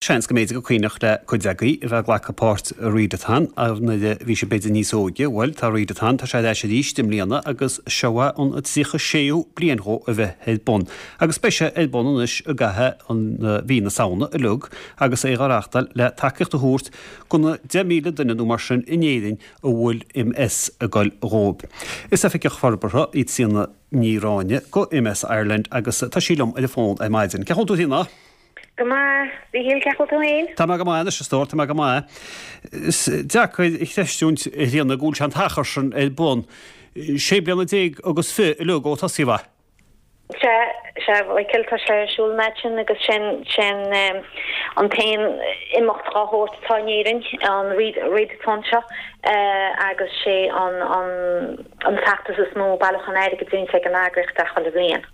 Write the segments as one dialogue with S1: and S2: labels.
S1: Seans go mb'fhéidir gur cuimhneach le cuid agaibh a bheith ag glacadh páirt i Readathon nuair a bhí sibh b'fhéidir níos óige. Bhuel, tá Readathon, tá sé ar ais arís i mbliana agus seo é an 36ú bliain dhó a bheith ar bun. Agus beidh sé ar bun anois i gcaitheamh an mhí na Samhna uilig agus é á reáchtáil le tacaíocht a thabhairt go na 10,000 duine nó mar sin in Éirinn a bhfuil MS ag goil dhóibh. Is Oifigeach Forbartha í Tríona Ní Ráinne go MS Ireland agus tá sí liom ar an bhfón ar maidin. Cén chaoi a bhfuil tú a Thríona?
S2: Go maith, a Mhíchíl, cén chaoi a bhfuil tú féin?
S1: Tá mé go maith anois, a stór, tá mé go maith. Is deacair a chreistiúint, a Thríona, go bhfuil sé an t-achar sin ar bun. Sé bliana déag agus fi uilig ó tosaíodh é.
S2: Sea, sea, a Mhichíl, tá sé ar siúl an fhad sin agus sin, sin an t-aon imeacht dhá shórt atá in Éirinn, an Readathon seo, agus sé an, an, an feachtas is mó bailiúchán airgid déanta ag an eagraíocht é chuile bhliain.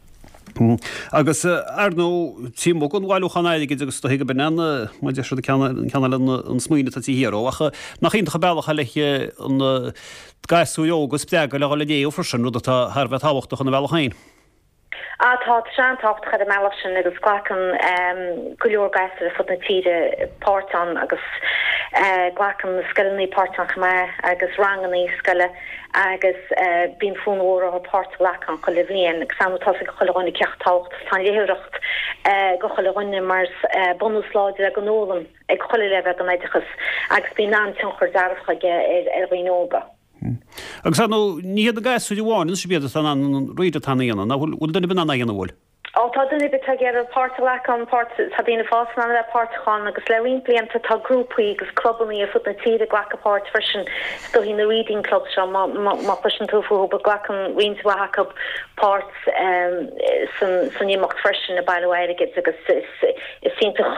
S1: Agus, ar ndóigh, taobh amuigh den bhailiúchán airgid agus is dóichí go b'in an, mar a deir siad, an ceann eile an smaoineamh atá taobh thiar dhó, ach nach iontach an bealach é le na gasúir óga a spreagadh le dhul ag léamh freisin, rud atá thar a bheith tábhachtach ina bhealach féin.
S2: Á tá, tá sé an-tábhachtach ar an mbealach sin agus glacann go leor gasúir ar fud na tíre páirt ann agus glacann na scoileanna páirt ann chomh maith agus ranganna scoile. agus bíonn fonn mhór orthu páirt a ghlacadh ann chuile bhliain agus ar ndóigh tá a fhios ag chuile dhuine cé chomh tábhachtach is atá an léitheoireacht go chuile dhuine mar is bunús láidir é don fhoghlaim ag chuile leibhéal den oideachas agus bíonn an-tionchar dearfach aige ar dhaoine óga.
S1: Agus ar ndóigh, ní hiad na gasúir amháin anois a b'iad atá in ann an Readathon a dhéanamh, nach bhfuil duine ar bith in ann é a dhéanamh, bhfuil?
S2: Ó tá duine ar bith atá ag iarraidh páirt a ghlacadh ann, páirt, tá daoine fásta in ann a bheith páirteach ann agus le roinnt blianta tá grúpaí agus clubannaí ar fud na tíre ag glacadh páirt freisin, is dóichí na reading clubs seo má, má, má chloiseann tú fúthu but glacann roinnt mhaith acu páirt san, san imeacht freisin ag bailiú airgid agus is, is iontach,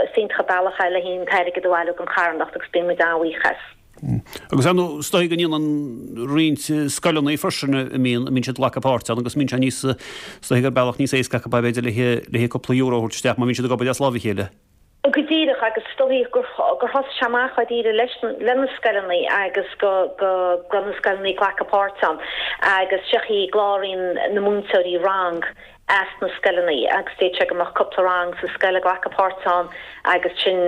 S2: is iontach an bealach é le an t-airgead a bhailiú don charthanacht agus bíonn muid an-bhuíoch as.
S1: Agus ar ndóigh, is dóigh go ndéanann roinnt scoileanna freisin a mbíonn, a mbíonn siad ag glacadh páirt ann agus mbíonn sé níos, is dóigh gur bealach níos éasca acu b'fhéidir le le cúpla euro a thabhairt isteach má bhíonn siad ag obair as láimh a chéile.
S2: Go díreach, agus is dóigh gur gur thosaigh sé amach dáiríre leis le na scoileanna agus go go go raibh na scoileanna ag glacadh páirt ann agus seo í cláraíonn na múinteoirí rang as na scoileanna agus d'fhéadfadh sé go mbeadh cúpla rang sa scoil ag glacadh páirt ann agus sin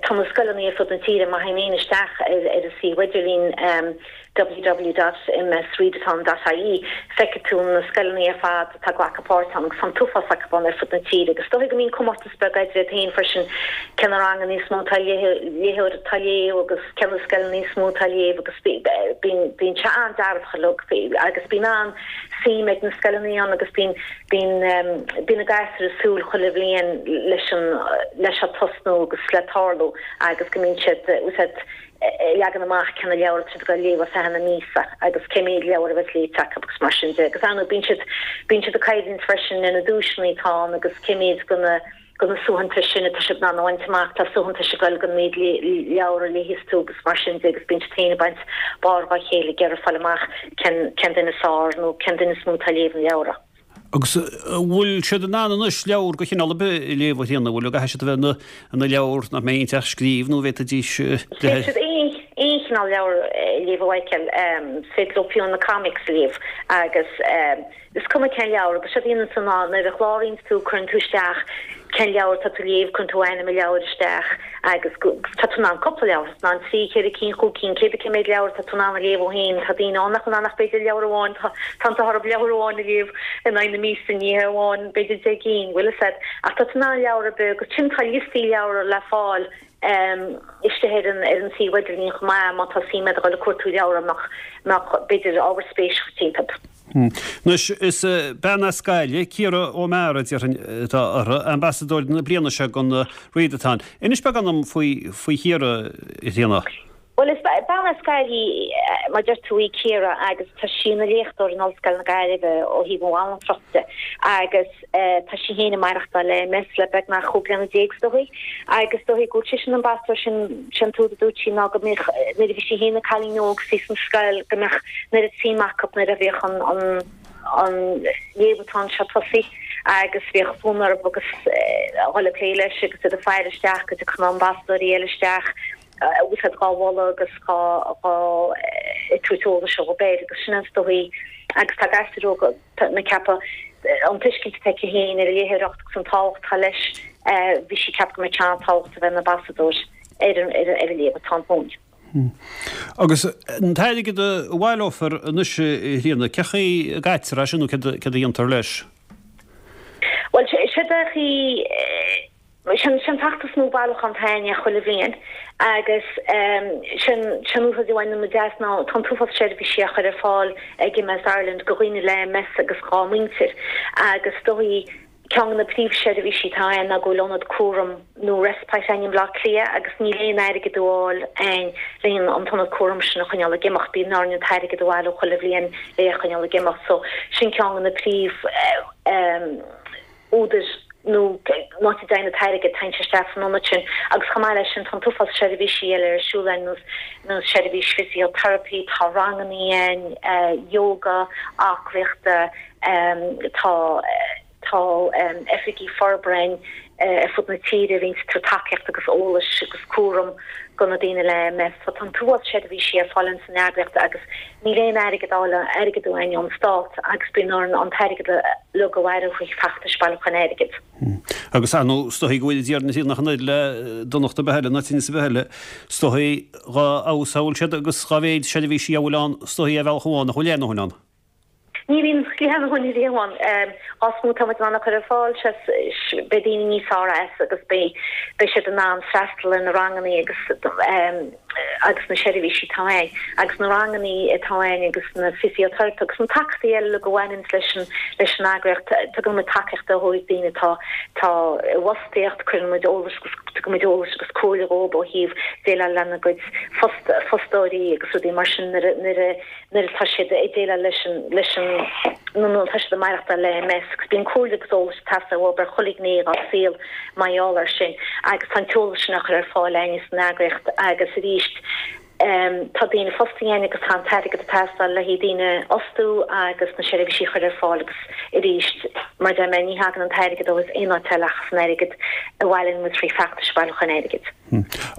S2: tá na scoileanna ar fud na tíre má théann éinne isteach ar ar an suíomh idirlín www.msreadathon.ie feicfidh tú na scoileanna ar fad atá ag glacadh páirt ann agus tá an t-uafás acu ann ar fud na tíre agus is dóigh go mbíonn comórtas beag idir iad féin freisin cé na ranganna níos mó atá léitheoir atá ag léamh agus cé na scoileanna níos mó atá ag léamh agus bíonn bíonn sé an-dearfach uilig agus bíonn an suim ag na scoileanna ann agus bíonn bíonn bíonn na gasúir ag súil chuile bhliain leis an leis seo tosnú agus le tarlú agus go mbíonn siad úsáid leagan amach cé na leabhair atá siad ag dul a léamh ar feadh na míosa agus cé méid leabhar a bheas léite acu agus mar sin de agus ar ndóigh bíonn siad bíonn siad ag coimhlint freisin ar na duaiseanna atá ann agus cé méid de na de na suaitheantais sin atá siad in ann a bhaint amach, tá suaitheantais ag goil don méid leabhar a léifeas tú agus mar sin de agus bíonn siad féin ag baint barr dhá chéile ag iarraidh fáil amach cén cén duine is fearr nó cén duine is mó atá ag léamh na leabhra.
S1: Agus an bhfuil siad in ann anois leabhar de chineál ar bith a léamh a Thríona, an bhfuil, an gcaithfidh siad a bheith ina ina leabhar nach mbeidh inti ach scríobh nó an bhféadfaidís
S2: Féadfaidh siad aon aon chineál leabhar a léamh a Mhichael, is féidir leo fiú na comics a léamh agus Is cuma cén leabhar, agus séard a dhéanann tú ná nuair a chláraíonn tú cuireann tú isteach cén leabhar atá tú a léamh, cuireann tú ainm an leabhair isteach agus tá tú in ann cúpla leabhar, tá tú in ann 3, 4 cinn, 5 cinn, cé bith cé méid leabhar atá tú in ann a léamh ó shin, tá daoine ann nach bhfuil in ann ach b'fhéidir leabhar amháin, tá an t-ádh orthu leabhar amháin a léamh in aghaidh na míosa, ní hé amháin b'fhéidir 10 gcinn, bhfuil fhios a'd, ach tá tú in ann leabhar ar bith agus sin tá liostaí leabhar le fáil istigh ar an ar an suíomh idirlín chomh maith má tá suim a'd a dhul ag cuartú leabhar a mbeadh mbeadh b'fhéidir ábhar spéise dhuit iontu.
S1: Anois, is bean as Gaillimh, Ciara O'Meara, déarfainn, atá uirthi, ambasadóir na bliana seo don Readathon. Inis beagán dom faoi faoi Chiara, a Thríona.
S2: Bhuel, is bean as Gaillimh í, mar a deir tú, í Ciara agus tá sí ina léachtóir in Ollscoil na Gaillimhe ó thaobh an bhanaltrachta de agus tá sí féin ag maireachtáil le MS le beagnach 15 bliana is dóigh agus is dóigh go bhfuil sise ina ambasadóir sin sé an t-údar a dúirt sí ná go mbeadh nuair a bhí sí féin ina cailín óg is í san scoil go mbeadh an oiread suim acu nuair a bhíodh an an an léamhathon seo tosaithe agus bhíodh fonn orthu agus a dhul ag plé leis agus iad ag faire isteach go dtiocfadh na ambasadóirí eile isteach agus iad dhá mholadh agus dhá dhá ag tabhairt eolais dhóibh air agus sin is dóigh agus tá gasúir óga tá mé ag ceapadh an tuiscint atá aici féin ar an léitheoireacht agus an tábhacht atá leis. Bhí sí ag ceapadh go mbeadh sé an-tábhachtach a bheith ina ambasadóir ar an ar an léamh-a-thon dhúinn.
S1: Agus an t-airgead a bhaileofar anois, a Thríona, cén chaoi a gcaitear é sin nó céard a dhéantar leis?
S2: Bhuel, séard é an chaoi, sin an feachtas nó bailiúchán atá againn chuile bhliain agus sin an úsáid a bhaineann muid as ná tá an t-uafás seirbhísí á chur ar fáil ag MS Ireland go dhaoine le MS agus dhá muintir agus is dóigh ceann de na príomhsheirbhísí atá ann ná go bhfuil ionad cúraim nó respite againn i mBleá Cliath agus níl aon airgead á fháil againn le an t-ionad cúraim sin a choinneáil ag imeacht. Bíonn orainn an t-airgead a bhailiú chuile bhliain le é a choinneáil ag imeacht. So sin ceann de na príomh údair nó an áit a dtéann an t-airgead, téann sé isteach san ionad sin agus chomh maith leis sin tá an t-uafás seirbhísí eile ar siúl againn nós nós seirbhís physiotherapy, tá rangannaí againn, yoga, aclaíochta, tá tá oifigí forbartha againn ar fud na tíre a bhíonns ag tabhairt tacaíocht agus eolais agus cúram go na daoine le MS. So tá an t-uafás seirbhísí ar fáil ins an eagraíocht agus níl aon airgead á fháil airgead uainn ón stát agus bíonn orainn an t-airgead uilig a bhailiú thrí feachtais bailiúcháin airgid.
S1: Agus ar ndóigh, is dóichí go bhfuil iad ar nach an oiread le donacht ar bith eile, ná tinneas ar bith eile, is dóichí dhá fheabhas a bhfuil siad agus dhá mhéid seirbhísí a bhfuil ann, is dóichí ar bhealach amháin nach bhfuil aon ndóthain ann.
S2: Ní bhíonn a ndóthain riamh ann. Dhá is mó atá muid in ann a chur ar fáil, beidh daoine níos fearr as agus beidh siad in ann freastal ar na rangannaí agus agus na seirbhísí atá ann agus na rangannaí atá ann agus na physiotherapy agus na tacaíochtaí eile uilig a bhaineanns leis an leis an eagraíocht. Tugann muid tacaíocht do dhaoine atá atá i bhfostaíocht, cuireann muid eolas agus tugann muid eolas agus comhairle dhóibh ó thaobh déileáil lena gcuid fostóirí agus rudaí mar sin nuair a nuair a nuair atá siad ag déileáil leis an, leis an, nó nuair atá siad ag maireachtáil le MS agus bíonn comhairle agus eolas ag teastáil uathu ar chuile ghné dá saol mar gheall air sin agus tá an t-eolas sin á chur ar fáil againn san eagraíocht agus arís tá daoine fostaithe againn agus tá an t-airgead ag teastáil le haghaidh daoine a fhostú agus na seirbhísí a chur ar fáil agus arís mar a deir mé ní thagann an t-airgead ó aon áit eile ach as an airgead a bhailíonn muid trí feachtais bailiúcháin airgid.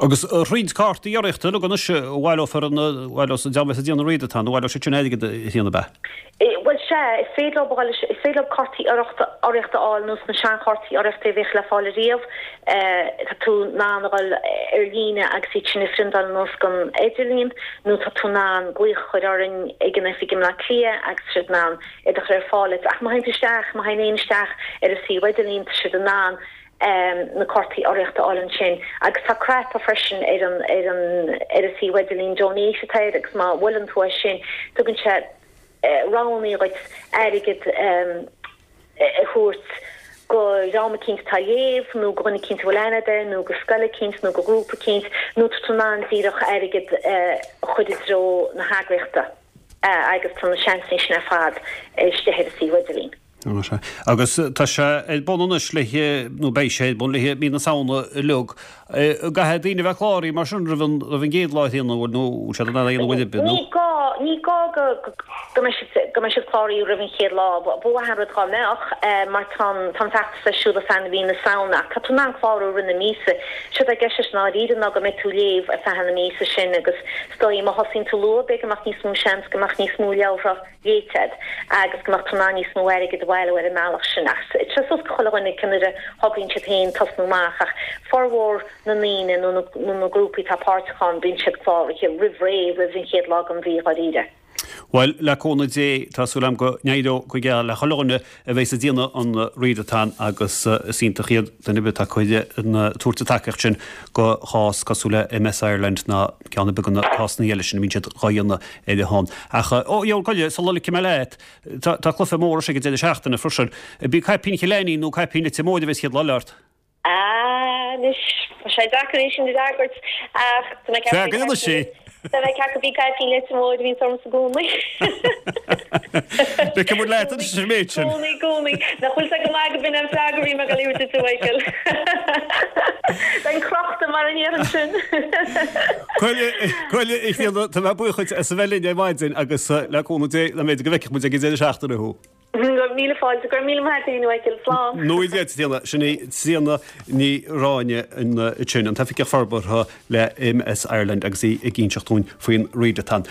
S1: Agus roinnt cártaí urraíochta uilig anois a bhaileofar an bhaileos an dream a bheas ag déanamh readathon, a bhaileoidh siad sin airgead a Thríona ab ea?
S2: Bhuel sea, is féidir leo fáil, is féidir leo cártaí urraíochta urraíochta a fháil nós na seanchártaí urraíochta a bhíodh le fáil ariamh. Tá tú in ann a dhul ar líne agus iad sin a phriontáil anuas den idirlíon nó tá tú in ann glaoch a chur orainn ag an oifig i mBleá Cliath agus tá siad in ann iad a chur ar fáil duit. Ach má théann tú isteach, má théann éinne isteach ar an suíomh idirlín tá siad in ann na cártaí urraíochta a fháil ansin agus tá cnaipe freisin ar an ar an ar an suíomh idirlín donate atá air agus má bhuaileann tú air sin tugann sé roghanna dhuit airgead a thabhairt go dhream eicínt atá ag léamh nó go dhuine eicínt a bhfuil aithne agat air nó go scoil eicínt nó go grúpa eicínt nó tá tú in ann díreach airgead a chur i dtreo na heagraíochta agus tá na seansanna sin ar fad istigh ar an suíomh idirlín.
S1: Tá sé. Agus tá sé ar bun anois le, nó beidh sé ar bun le mí na Samhna uilig. Caithfidh daoine a bheith cláraithe mar sin roimh an, roimh an gcéad lá a Thríona, bhfuil, nó bhfuil siad in ann é a dhéanamh uair ar bith, nó?
S2: Ní gá, ní gá go, go mbeidh siad, go mbeidh siad cláraithe roimh an chéad lá. Ba mhaith an rud dhá mbeadh, mar tá an, tá an feachtas ar siúl ar feadh na mí na Samhna ach tá tú in ann clárú i rith na míosa. Séard atá i gceist leis i ndáiríre ná go mbeidh tú ag léamh ar feadh na míosa sin agus is dóigh má thosaíonn tú luath b'fhéidir go mbeadh níos mó seans go mbeadh níos mó leabhartha léite agat agus go mbeadh tú in ann níos mó airgid a bhailiú ar an mbealach sin. Ach tá sé suas go chuile dhuine cén uair a thograíonn siad féin tosnú amach ach formhór na ndaoine nó na grúpaí atá páirteach ann bíonn siad cláraithe roimh ré, roimh an chéad lá den mhí dháiríre.
S1: Bhuel, le cúnamh Dé, tá súil agam go n-éireoidh go geal le chuile dhuine a bheas ag déanamh an readathon agus is iontach iad duine ar bith atá ag tabhairt an tacaíocht sin go chás cosúil le MS Ireland ná ceann ar bith de na cásanna eile sin a mbíonn siad dhá dhéanamh ar a shon. Ach, ó, gheall goile, sula ligfidh mé leat, tá, tá cluiche mór anois ag an deireadh seachtaine freisin. B'í caipín Chill Ainnín nó caipín Leitir Móir a bheas chéad lá eile ort?
S2: Ah, anois, tá sé deacair é sin a fhreagairt, ach tá mé ag ceapadh
S1: Freagair anois é!
S2: Tá mé ag ceapadh b'í caipín Leitir Móir a bhíonns ormsa i gcónaí.
S1: Feicfidh muid leat anois an méid sin.
S2: Gcónaí, gcónaí. Nach bhfuil sé go maith go b'in an freagra a bhí mé ag dul a thabhairt duit, a Mhichael. Bheinn crochta mar a ndéarfainn sin.
S1: Bhuel, a Thríona, tá mé buíoch duit as a bheith linn ar maidin agus le cúnamh Dé, go mb'fhéidir go bhfeicfidh muid ag an deireadh seachtaine thú.
S2: Míle fáilte, go raibh míle maith agat féin, a Mhichael. Slán.
S1: Nó Dia duit, a Thríona. Sin í Tríona Ní Ráinne ansin, an tOifigeach Forbartha le MS Ireland agus í ag inseacht dúinn faoin Readathon.